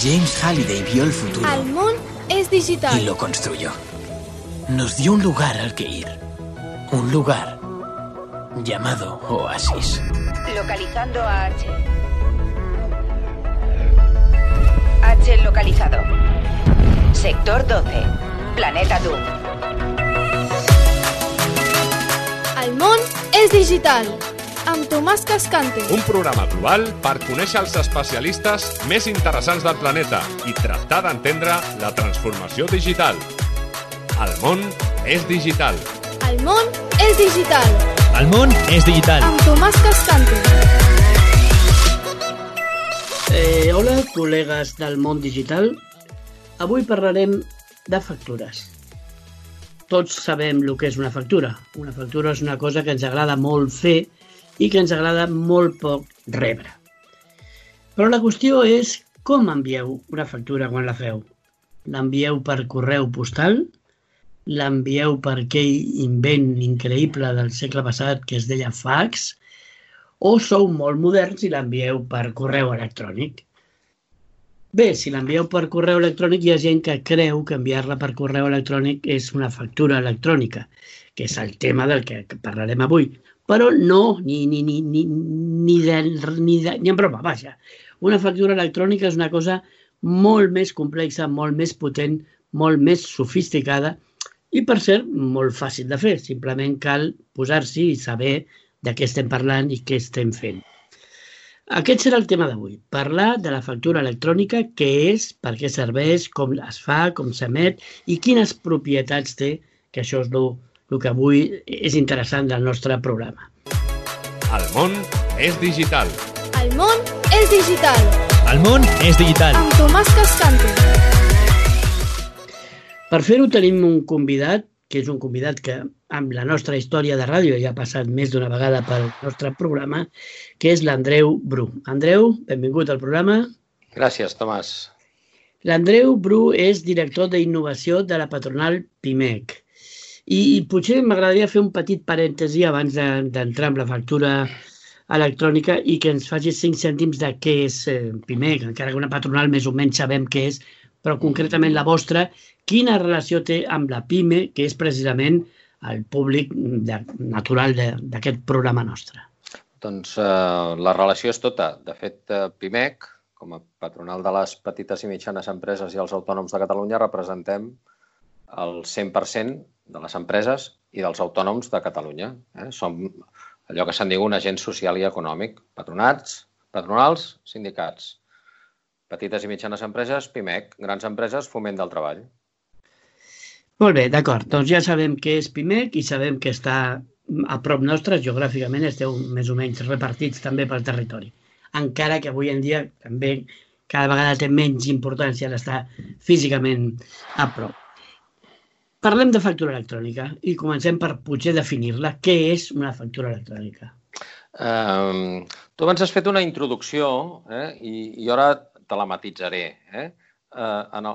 James Halliday vio el futuro. El món es digital. Y lo construyó. Nos dio un lugar al que ir. Un lugar llamado Oasis. Localizando a H. H localizado. Sector 12. Planeta Doom. El món és digital. Amb Tomàs Cascante. Un programa global per conèixer els especialistes més interessants del planeta i tractar d'entendre la transformació digital. El món és digital. El món és digital. El món és digital. Amb Tomàs Cascante. Hola, col·legues del món digital. Avui parlarem de factures. Tots sabem el que és una factura. Una factura és una cosa que ens agrada molt fer i que ens agrada molt poc rebre. Però la qüestió és com envieu una factura quan la feu. L'envieu per correu postal? L'envieu per aquell invent increïble del segle passat que es deia fax? O sou molt moderns i l'envieu per correu electrònic? Bé, si l'envieu per correu electrònic hi ha gent que creu que enviar-la per correu electrònic és una factura electrònica, que és el tema del que parlarem avui. Però no, ni en broma, vaja. Una factura electrònica és una cosa molt més complexa, molt més potent, molt més sofisticada i, per cert, molt fàcil de fer. Simplement cal posar-s'hi i saber de què estem parlant i què estem fent. Aquest serà el tema d'avui, parlar de la factura electrònica, què és, per què serveix, com es fa, com s'emet i quines propietats té, que això és el que avui és interessant del nostre programa. El món és digital. El món és digital. El món és digital. Amb Tomàs Cascante. Per fer-ho tenim un convidat, que és un convidat que amb la nostra història de ràdio ja ha passat més d'una vegada pel nostre programa, que és l'Andreu Bru. Andreu, benvingut al programa. Gràcies, Tomàs. L'Andreu Bru és director d'innovació de la patronal PIMEC. I potser m'agradaria fer un petit parèntesi abans d'entrar en la factura electrònica i que ens facis 5 cèntims de què és PIMEC, encara que una patronal més o menys sabem què és, però concretament la vostra, quina relació té amb la PIME, que és precisament el públic natural d'aquest programa nostre? Doncs la relació és tota. De fet, PIMEC, com a patronal de les petites i mitjanes empreses i els autònoms de Catalunya, representem el 100% de les empreses i dels autònoms de Catalunya. Som allò que se'n diu un agent social i econòmic. Patronals, sindicats. Petites i mitjanes empreses, PIMEC. Grans empreses, Foment del Treball. Molt bé, d'acord. Doncs ja sabem què és PIMEC i sabem que està a prop nostre, geogràficament esteu més o menys repartits també pel territori. Encara que avui en dia també cada vegada té menys importància l'estar físicament a prop. Parlem de factura electrònica i comencem per potser definir-la. Què és una factura electrònica? Tu abans has fet una introducció i ara te la matitzaré. En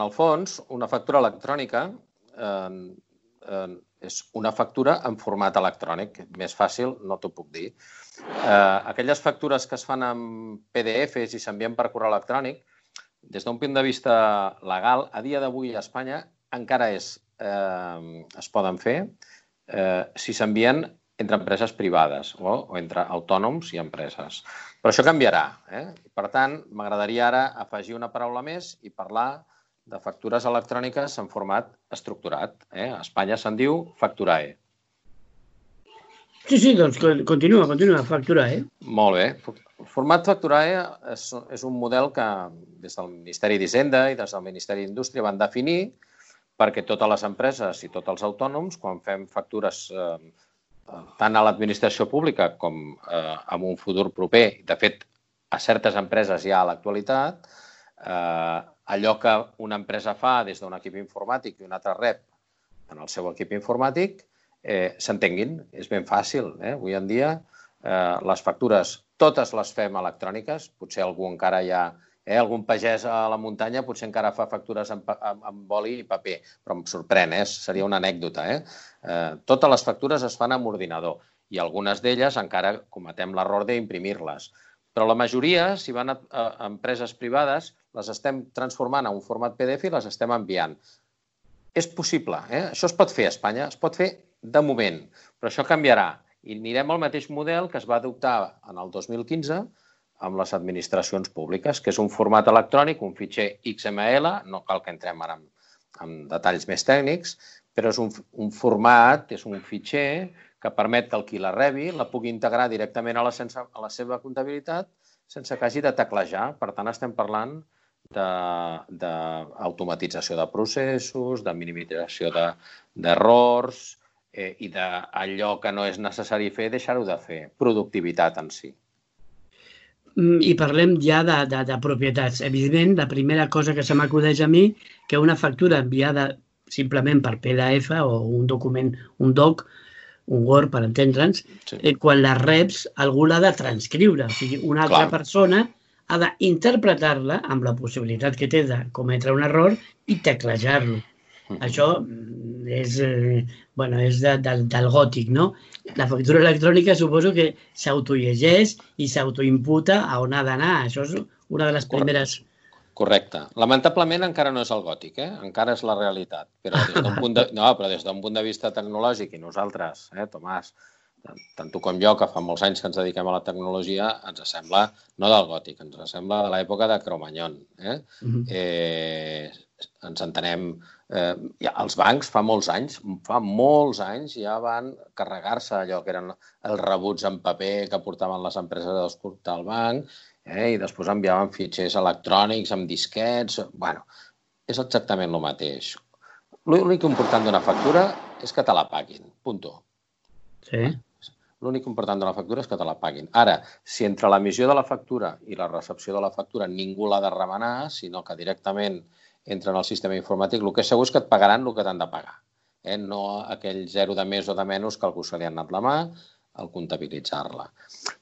el fons, una factura electrònica és una factura en format electrònic. Més fàcil no t'ho puc dir. Aquelles factures que es fan amb PDFs i s'envien per correu electrònic, des d'un punt de vista legal, a dia d'avui a Espanya encara es poden fer si s'envien entre empreses privades o entre autònoms i empreses. Però això canviarà. Per tant, m'agradaria ara afegir una paraula més i parlar de factures electròniques en format estructurat. A Espanya se'n diu Facturae. Sí, doncs continua, Facturae. Molt bé. El format Facturae és un model que des del Ministeri d'Hisenda i des del Ministeri d'Indústria van definir perquè totes les empreses i tots els autònoms, quan fem factures tant a l'administració pública com en un futur proper, de fet, a certes empreses ja a l'actualitat, allò que una empresa fa des d'un equip informàtic i un altre rep en el seu equip informàtic, s'entenguin. És ben fàcil. Avui en dia, les factures totes les fem electròniques, potser algú encara hi ha algun pagès a la muntanya potser encara fa factures amb boli i paper, però em sorprèn, seria una anècdota. Totes les factures es fan amb ordinador i algunes d'elles encara cometem l'error d'imprimir-les. Però la majoria, si van a empreses privades, les estem transformant en un format PDF i les estem enviant. És possible, Això es pot fer a Espanya, es pot fer de moment, però això canviarà. I anirem al mateix model que es va adoptar en el 2015 amb les administracions públiques, que és un format electrònic, un fitxer XML, no cal que entrem ara en detalls més tècnics, però és un format, és un fitxer que permet que el qui la rebi la pugui integrar directament a la seva comptabilitat sense que hagi de teclejar. Per tant, estem parlant d'automatització de processos, de minimització d'errors i d'allò que no és necessari fer, deixar-ho de fer. Productivitat en si. I parlem ja de propietats. Evidentment, la primera cosa que se m'acudeix a mi, que una factura enviada simplement per PDF o un document, un doc, un Word, per entendre'ns, quan la reps, algú l'ha de transcriure. O sigui, una altra persona ha d'interpretar-la amb la possibilitat que té de cometre un error i teclejar-lo. Això és del gòtic, no? La factura electrònica suposo que s'autollegeix i s'autoimputa a on ha d'anar. Això és una de les primeres... Correcte. Lamentablement encara no és el gòtic, encara és la realitat. Però des d'un punt de vista tecnològic, i nosaltres, Tomàs, tant tu com jo, que fa molts anys que ens dediquem a la tecnologia, ens sembla, no del gòtic, ens sembla de l'època de Cro-Magnon. Ens entenem... Els bancs fa molts anys ja van carregar-se allò que eren els rebuts en paper que portaven les empreses a escoltar al banc i després enviaven fitxers electrònics amb disquets. Bueno, és exactament el mateix. L'únic important d'una factura és que te la paguin, punto. Sí. L'únic important de la factura és que te la paguin. Ara, si entre l'emissió de la factura i la recepció de la factura ningú l'ha de remenar, sinó que directament entra en el sistema informàtic, el que és segur és que et pagaran el que t'han de pagar. No aquell 0 de més o de menys que algú se li ha anat la mà al comptabilitzar-la.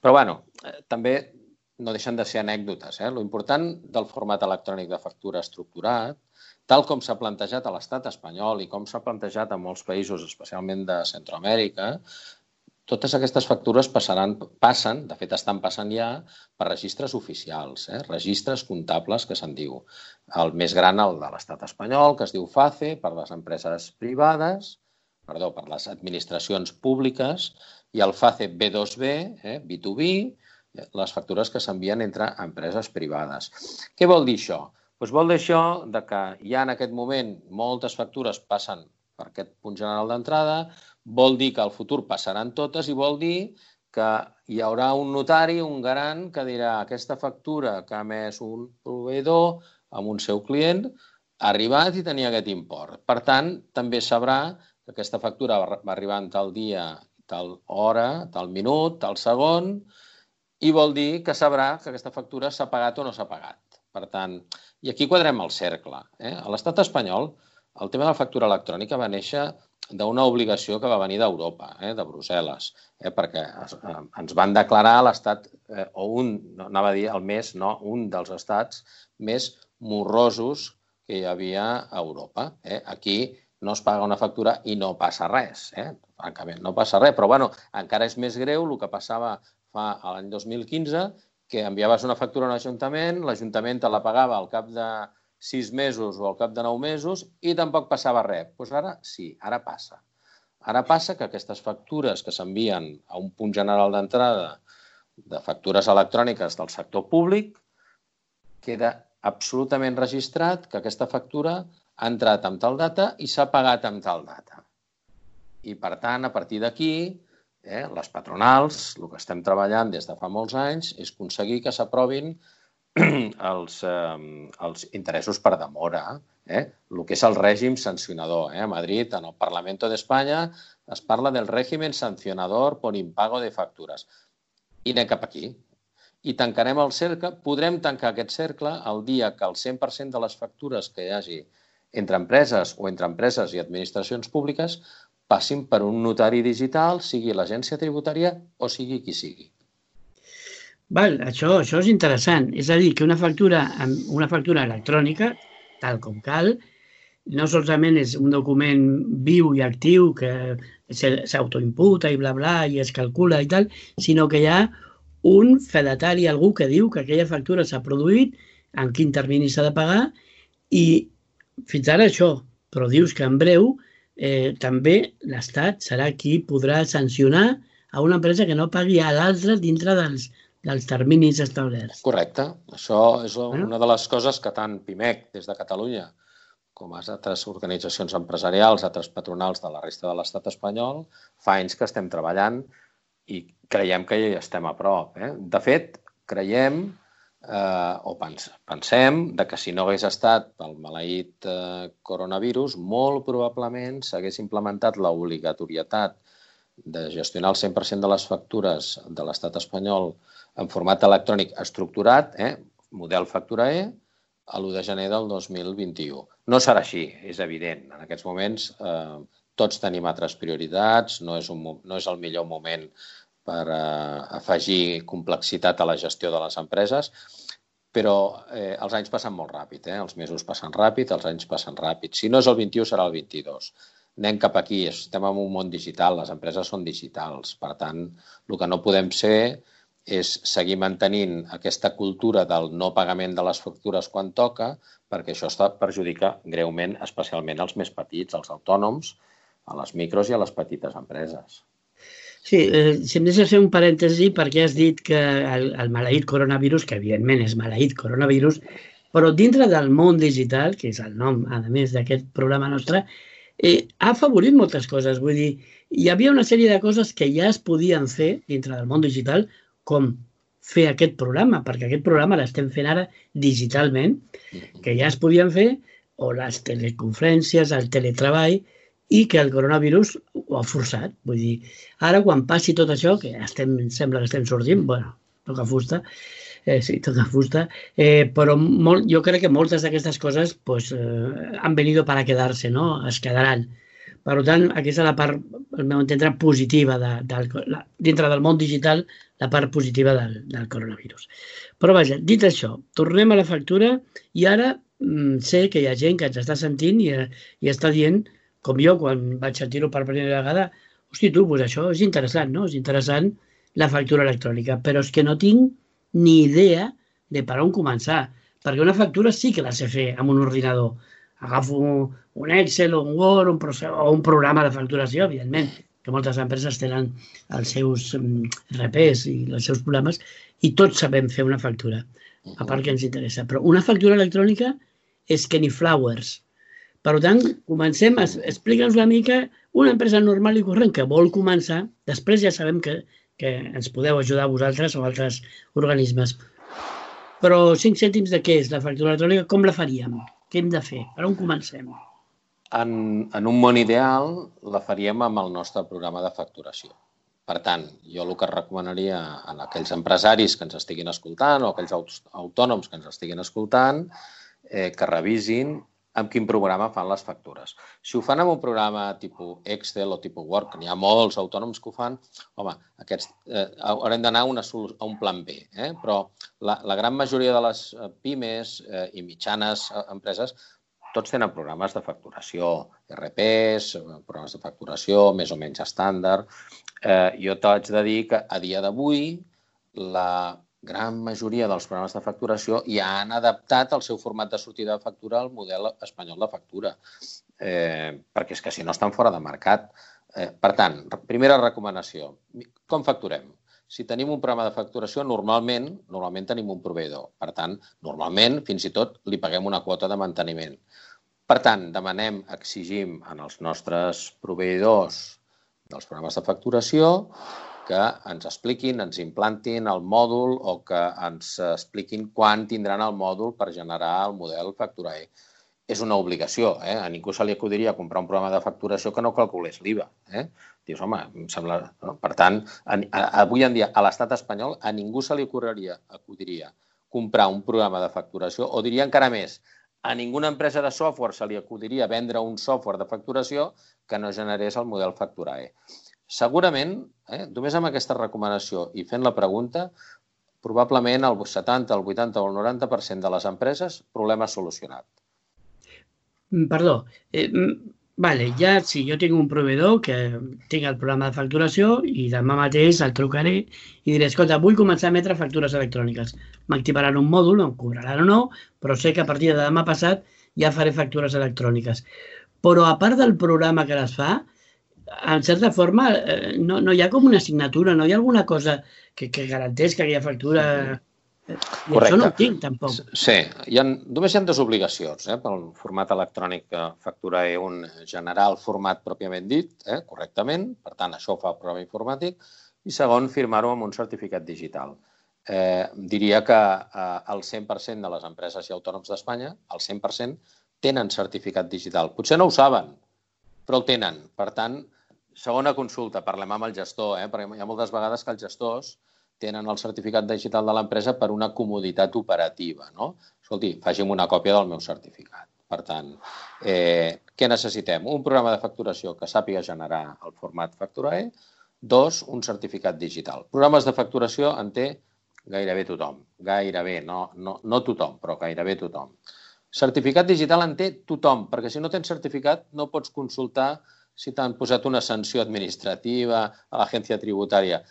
Però, bueno, també no deixen de ser anècdotes. L'important del format electrònic de factura estructurat, tal com s'ha plantejat a l'estat espanyol i com s'ha plantejat a molts països, especialment de Centroamèrica, totes aquestes factures passen, de fet estan passant ja, per registres oficials, registres comptables que se'n diu. El més gran, el de l'estat espanyol, que es diu FACE, per les empreses privades, per les administracions públiques, i el FACE B2B, B2B, les factures que s'envien entre empreses privades. Què vol dir això? Vol dir això que ja en aquest moment moltes factures passen per aquest punt general d'entrada, vol dir que al futur passaran totes i vol dir que hi haurà un notari, un garant, que dirà aquesta factura que ha emès un proveïdor amb un seu client ha arribat i tenia aquest import. Per tant, també sabrà que aquesta factura va arribar en tal dia, tal hora, tal minut, tal segon, i vol dir que sabrà que aquesta factura s'ha pagat o no s'ha pagat. Per tant, i aquí quadrem el cercle. A l'estat espanyol, el tema de la factura electrònica va néixer d'una obligació que va venir d'Europa, de Brussel·les, perquè ens van declarar l'estat, o anava a dir un dels estats més morrosos que hi havia a Europa. Aquí no es paga una factura i no passa res, francament, no passa res, però bueno, encara és més greu el que passava fa l'any 2015, que enviaves una factura a un ajuntament, l'Ajuntament te la pagava al cap de 6 mesos o al cap de 9 mesos i tampoc passava res. Doncs ara sí, ara passa. Ara passa que aquestes factures que s'envien a un punt general d'entrada de factures electròniques del sector públic, queda absolutament registrat que aquesta factura ha entrat amb tal data i s'ha pagat amb tal data. I, per tant, a partir d'aquí, les patronals, el que estem treballant des de fa molts anys, és aconseguir que s'aprovin els interessos per demora, el que és el règim sancionador. A Madrid, en el Parlamento de España, es parla del régimen sancionador por impago de factures. I anem cap aquí. I tancarem el cercle, podrem tancar aquest cercle el dia que el 100% de les factures que hi hagi entre empreses o entre empreses i administracions públiques passin per un notari digital, sigui l'agència tributària o sigui qui sigui. Això és interessant. És a dir, que una factura electrònica, tal com cal, no solament és un document viu i actiu que s'autoimputa i bla, bla, i es calcula i tal, sinó que hi ha un fedatari, algú que diu que aquella factura s'ha produït, en quin termini s'ha de pagar, i fins ara això, però dius que en breu també l'Estat serà qui podrà sancionar a una empresa que no pagui a l'altra dintre dels terminis establerts. Correcte. Això és una de les coses que tant PIMEC des de Catalunya com a altres organitzacions empresarials, altres patronals de la resta de l'estat espanyol, fa anys que estem treballant i creiem que ja hi estem a prop. De fet, creiem o pensem que si no hagués estat pel maleït coronavirus, molt probablement s'hagués implementat l'obligatorietat de gestionar el 100% de les factures de l'estat espanyol en format electrònic estructurat, model factura E, a l'1 de gener del 2021. No serà així, és evident. En aquests moments tots tenim altres prioritats, no és el millor moment per afegir complexitat a la gestió de les empreses, però els anys passen molt ràpid, els mesos passen ràpid, els anys passen ràpid. Si no és el 21, serà el 22. Anem cap aquí, estem en un món digital, les empreses són digitals. Per tant, el que no podem ser és seguir mantenint aquesta cultura del no pagament de les factures quan toca, perquè això perjudica greument, especialment als més petits, als autònoms, a les micros i a les petites empreses. Sí, si em deixes fer un parèntesi, perquè has dit que el maleït coronavirus, que evidentment és maleït coronavirus, però dintre del món digital, que és el nom, a més d'aquest programa nostre, ha afavorit moltes coses. Vull dir, hi havia una sèrie de coses que ja es podien fer dintre del món digital, com fer aquest programa, perquè aquest programa l'estem fent ara digitalment, que ja es podien fer, o les teleconferències, el teletreball, i que el coronavirus ho ha forçat. Vull dir, ara quan passi tot això, que sembla que estem sortint, bueno, toca fusta, sí, toca fusta, però jo crec que moltes d'aquestes coses han venido para quedarse, no? Es quedaran. Per tant, aquesta és la part, al meu entendre, positiva dintre del món digital, la part positiva del coronavirus. Però vaja, dit això, tornem a la factura i ara sé que hi ha gent que ens està sentint i està dient, com jo quan vaig sentir-ho per primera vegada, hosti, tu, doncs això és interessant, no? És interessant la factura electrònica, però és que no tinc ni idea de per on començar, perquè una factura sí que la sé fer amb un ordinador. Agafo un Excel o un Word o un programa de facturació, evidentment, que moltes empreses tenen els seus RPs i els seus programes, i tots sabem fer una factura, a part que ens interessa. Però una factura electrònica és que ni flowers. Per tant, comencem, explica'ns una mica una empresa normal i corrent que vol començar, després ja sabem que ens podeu ajudar vosaltres o altres organismes. Però 5 cèntims de què és la factura electrònica? Com la faríem? Què hem de fer? Per on comencem? En un món ideal la faríem amb el nostre programa de facturació. Per tant, jo el que recomanaria a aquells empresaris que ens estiguin escoltant o aquells autònoms que ens estiguin escoltant que revisin amb quin programa fan les factures. Si ho fan amb un programa tipus Excel o tipus Word, que n'hi ha molts autònoms que ho fan, home, aquests haurem d'anar a un plan B. Però la gran majoria de les pimes i mitjanes empreses tots tenen programes de facturació, RPs, programes de facturació més o menys estàndard. Jo t'haig de dir que a dia d'avui la gran majoria dels programes de facturació ja han adaptat el seu format de sortida de factura al model espanyol de factura, perquè és que si no estan fora de mercat. Per tant, primera recomanació, com facturem? Si tenim un programa de facturació, normalment tenim un proveïdor. Per tant, normalment, fins i tot, li paguem una quota de manteniment. Per tant, exigim als nostres proveïdors dels programes de facturació que ens expliquin, ens implantin el mòdul o que ens expliquin quan tindran el mòdul per generar el model factura E. És una obligació, a ningú se li acudiria comprar un programa de facturació que no calculés l'IVA. Dius, home, em sembla... Per tant, avui en dia, a l'estat espanyol, a ningú se li acudiria comprar un programa de facturació, o diria encara més, a ninguna empresa de software se li acudiria vendre un software de facturació que no generés el model factura E. Segurament, només amb aquesta recomanació i fent la pregunta, probablement el 70, el 80 o el 90% de les empreses, problema solucionat. Perdó, Vale, ja sí, jo tinc un proveïdor que tinc el programa de facturació i demà mateix el trucaré i diré, escolta, vull començar a emetre factures electròniques. M'activaran un mòdul, em cobraran o no, però sé que a partir de demà passat ja faré factures electròniques. Però a part del programa que les fa, en certa forma, no hi ha com una assignatura, no hi ha alguna cosa que garanteix que aquella factura... I això no ho tinc, tampoc. Sí, només hi ha dues obligacions pel format electrònic que factura un generar el format pròpiament dit, correctament, per tant, això ho fa el programa informàtic, i segon, firmar-ho amb un certificat digital. Diria que el 100% de les empreses i autònoms d'Espanya, el 100%, tenen certificat digital. Potser no ho saben, però el tenen. Per tant, segona consulta, parlem amb el gestor, perquè hi ha moltes vegades que els gestors tenen el certificat digital de l'empresa per una comoditat operativa, no? Escolti, faci'm una còpia del meu certificat. Per tant, què necessitem? Un programa de facturació que sàpiga generar el format Facturae. 2, un certificat digital. Programes de facturació en té gairebé tothom. Gairebé, no tothom, però gairebé tothom. Certificat digital en té tothom, perquè si no tens certificat no pots consultar si t'han posat una sanció administrativa a l'agència tributària.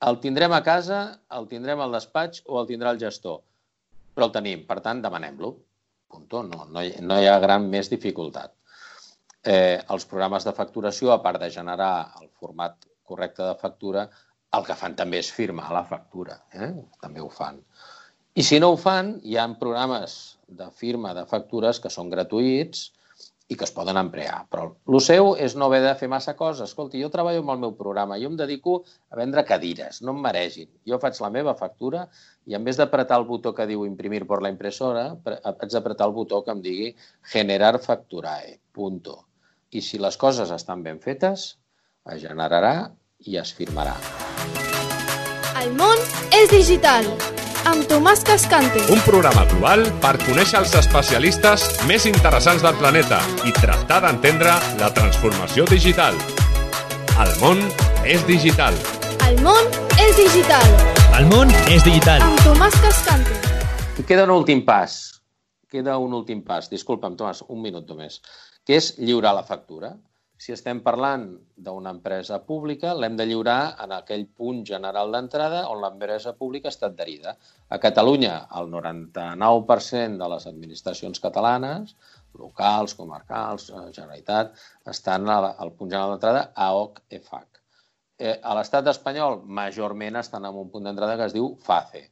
El tindrem a casa, el tindrem al despatx o el tindrà el gestor. Però el tenim, per tant, demanem-lo. No hi ha gran més dificultat. Els programes de facturació, a part de generar el format correcte de factura, el que fan també és firmar la factura. També ho fan. I si no ho fan, hi ha programes de firma de factures que són gratuïts i que es poden emplear. Però el seu és no haver de fer massa coses. Escolti, jo treballo amb el meu programa, jo em dedico a vendre cadires, no em maregin. Jo faig la meva factura i en vez d'apretar el botó que diu imprimir per la impressora, haig d'apretar el botó que em digui generar facturae, punto. I si les coses estan ben fetes, es generarà i es firmarà. El món és digital. Amb Tomàs Cascante. Un programa global per conèixer els especialistes més interessants del planeta i tractar d'entendre la transformació digital. El món és digital. El món és digital. El món és digital. Amb Tomàs Cascante. I queda un últim pas. Disculpa'm, Tomàs, un minut només. Que és lliurar la factura. Si estem parlant d'una empresa pública, l'hem de lliurar en aquell punt general d'entrada on l'empresa pública està adherida. A Catalunya, el 99% de les administracions catalanes, locals, comarcals, Generalitat, estan al punt general d'entrada AOC EFAC. A l'estat espanyol, majorment estan en un punt d'entrada que es diu FACE.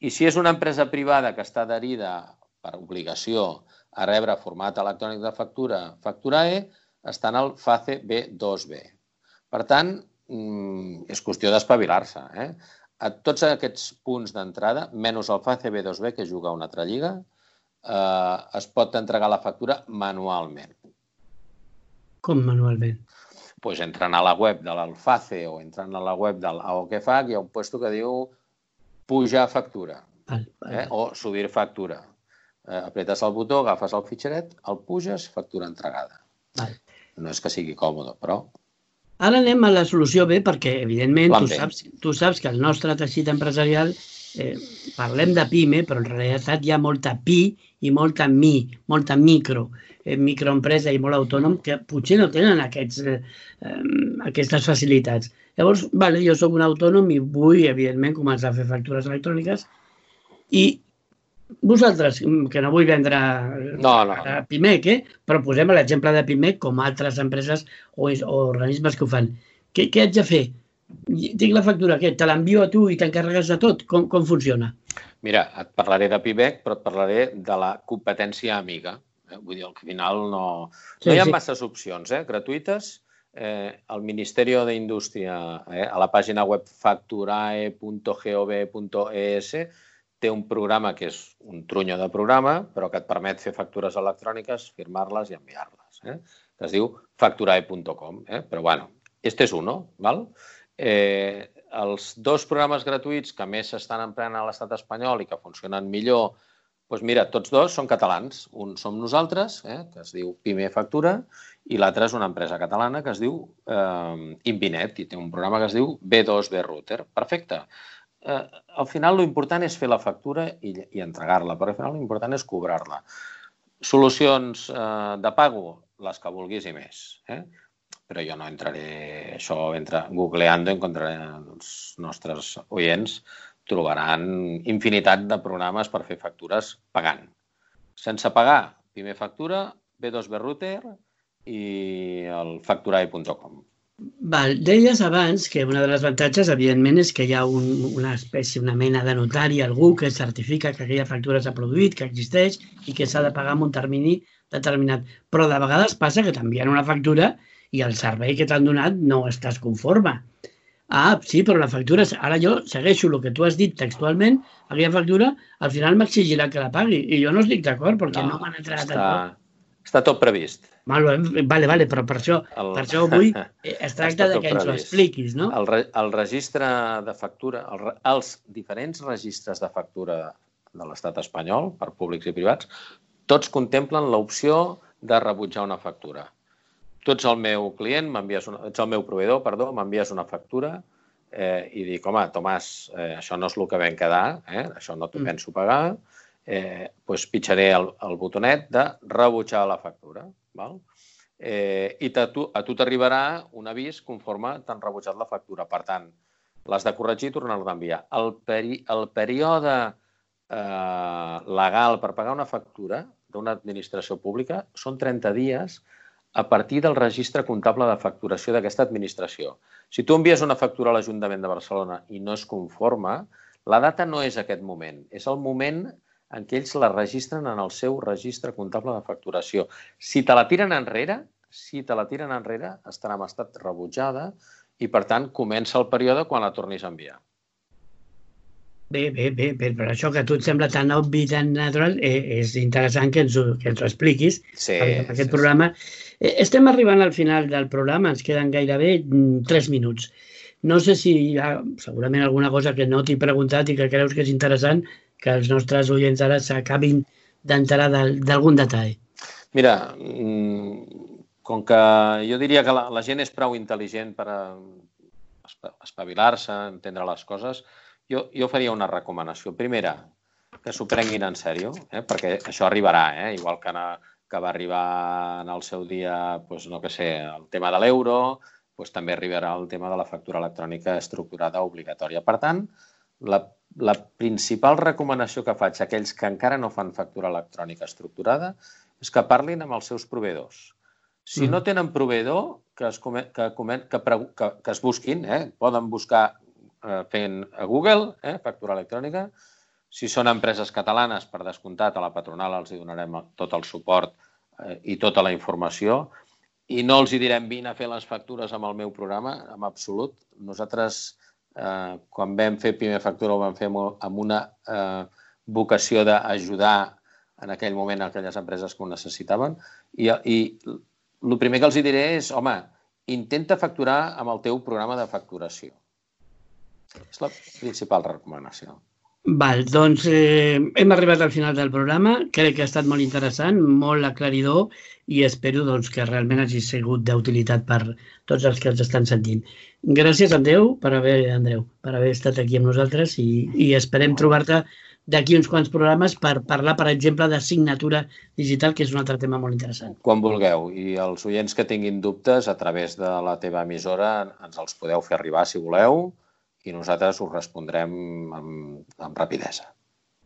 I si és una empresa privada que està adherida per obligació a rebre format electrònic de factura, Facturae, està en el FACE B2B. Per tant, és qüestió d'espavilar-se. A tots aquests punts d'entrada, menys el FACE B2B, que juga a una altra lliga, es pot entregar la factura manualment. Com manualment? Doncs entrant a la web de l'Alface o entrant a la web de l'AOCFAC hi ha un puesto que diu pujar factura o subir factura. Apretes el botó, agafes el fitxeret, el puges, factura entregada. No és que sigui còmode, però... Ara anem a la solució B perquè, evidentment, tu saps que el nostre teixit empresarial, parlem de PIME, però en realitat hi ha molta PI i molta microempresa i molt autònom que potser no tenen aquestes facilitats. Llavors, jo soc un autònom i vull, evidentment, començar a fer factures electròniques i vosaltres, que no vull vendre a Pimec, però posem l'exemple de Pimec com altres empreses o organismes que ho fan. Què haig de fer? Tinc la factura, te l'envio a tu i t'encarregues de tot? Com funciona? Mira, et parlaré de Pimec, però et parlaré de la competència amiga. Vull dir, al final no hi ha masses opcions gratuïtes. El Ministeri d'Indústria, a la pàgina web facturae.gov.es, té un programa que és un trunyo de programa, però que et permet fer factures electròniques, firmar-les i enviar-les, que es diu facturae.com. Però, bueno, este és uno, val? Els dos programes gratuïts que més s'estan empleant a l'estat espanyol i que funcionen millor, doncs mira, tots dos són catalans. Un som nosaltres, que es diu Pime Factura, i l'altre és una empresa catalana que es diu Invinet, i té un programa que es diu B2B Router. Perfecte. Al final l'important és fer la factura i entregar-la, però al final l'important és cobrar-la. Solucions de pago, les que vulguis i més. Però jo no entraré... Això, googleando, encontraré els nostres oients, trobaran infinitat de programes per fer factures pagant. Sense pagar, primer factura, B2B Router i el facturai.com. Deies abans que una de les avantatges, evidentment, és que hi ha una espècie, una mena de notari, algú que certifica que aquella factura s'ha produït, que existeix i que s'ha de pagar en un termini determinat. Però de vegades passa que t'envien una factura i el servei que t'han donat no estàs conforme. Ah, sí, però la factura... Ara jo segueixo el que tu has dit textualment, aquella factura al final m'exigirà que la pagui i jo no estic d'acord perquè no m'han entrat en tot. Està tot previst. Vale, però per això avui es tracta de que ens ho expliquis, no? El registre de factura, els diferents registres de factura de l'estat espanyol, per públics i privats, tots contemplen l'opció de rebutjar una factura. Tu ets el meu client, ets el meu proveïdor, m'envies una factura i dic, home, Tomàs, això no és el que vam quedar, això no t'ho penso pagar, doncs pitjaré el botonet de rebutjar la factura. I a tu t'arribarà un avís conforme t'han rebutjat la factura. Per tant, l'has de corregir i tornar-la d'enviar. El període legal per pagar una factura d'una administració pública són 30 dies a partir del registre comptable de facturació d'aquesta administració. Si tu envies una factura a l'Ajuntament de Barcelona i no es conforma, la data no és aquest moment, és el moment en què ells la registren en el seu registre comptable de facturació. Si te la tiren enrere, estarà en estat rebutjada i, per tant, comença el període quan la tornis a enviar. Bé, però això que a tu et sembla tan obvi, tan natural, és interessant que ens ho expliquis en aquest programa. Estem arribant al final del programa, ens queden gairebé 3 minuts. No sé si hi ha segurament alguna cosa que no t'he preguntat i que creus que és interessant que els nostres oients ara s'acabin d'enterar d'algun detall. Mira, com que jo diria que la gent és prou intel·ligent per espavilar-se, entendre les coses, jo faria una recomanació. Primera, que s'ho prenguin en sèrio, perquè això arribarà, igual que va arribar en el seu dia, no sé, el tema de l'euro, també arribarà el tema de la factura electrònica estructurada obligatòria. Per tant, la principal recomanació que faig a aquells que encara no fan factura electrònica estructurada és que parlin amb els seus proveïdors. Si no tenen proveïdor, que es busquin, poden buscar fent a Google, factura electrònica. Si són empreses catalanes, per descomptat, a la patronal els donarem tot el suport i tota la informació i no els direm vine a fer les factures amb el meu programa, en absolut. Nosaltres, quan vam fer Primer Factura, ho vam fer amb una vocació d'ajudar en aquell moment a aquelles empreses que ho necessitaven. I el primer que els diré és, home, intenta facturar amb el teu programa de facturació. És la principal recomanació. Doncs hem arribat al final del programa. Crec que ha estat molt interessant, molt aclaridor i espero que realment hagi sigut d'utilitat per tots els que ens estan sentint. Gràcies, Andreu, per haver estat aquí amb nosaltres i esperem trobar-te d'aquí uns quants programes per parlar, per exemple, de signatura digital, que és un altre tema molt interessant. Quan vulgueu. I els oients que tinguin dubtes, a través de la teva emissora, ens els podeu fer arribar, si voleu, i nosaltres us respondrem amb rapidesa.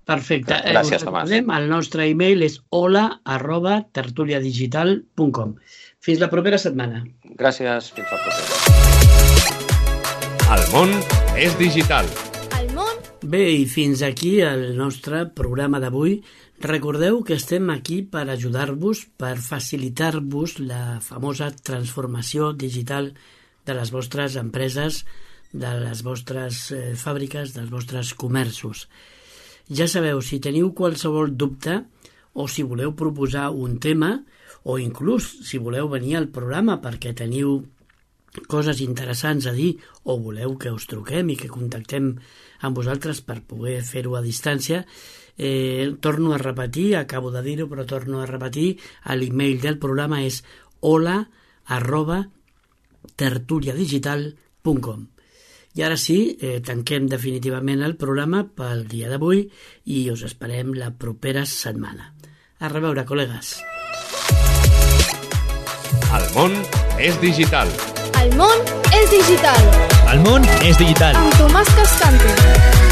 Perfecte. Gràcies, Tomàs. El nostre e-mail és hola@tertuliadigital.com. Fins la propera setmana. Gràcies. Fins la propera. El món és digital. El món... Bé, i fins aquí el nostre programa d'avui. Recordeu que estem aquí per ajudar-vos, per facilitar-vos la famosa transformació digital de les vostres empreses, de les vostres fàbriques, dels vostres comerços. Ja sabeu, si teniu qualsevol dubte o si voleu proposar un tema o inclús si voleu venir al programa perquè teniu coses interessants a dir o voleu que us truquem i que contactem amb vosaltres per poder fer-ho a distància, torno a repetir, acabo de dir-ho però torno a repetir, l'email del programa és hola@tertuliadigital.com. I ara sí, tanquem definitivament el programa pel dia d'avui i us esperem la propera setmana. A reveure, col·legues. El món és digital. El món és digital. El món és digital. Amb Tomàs Cascante.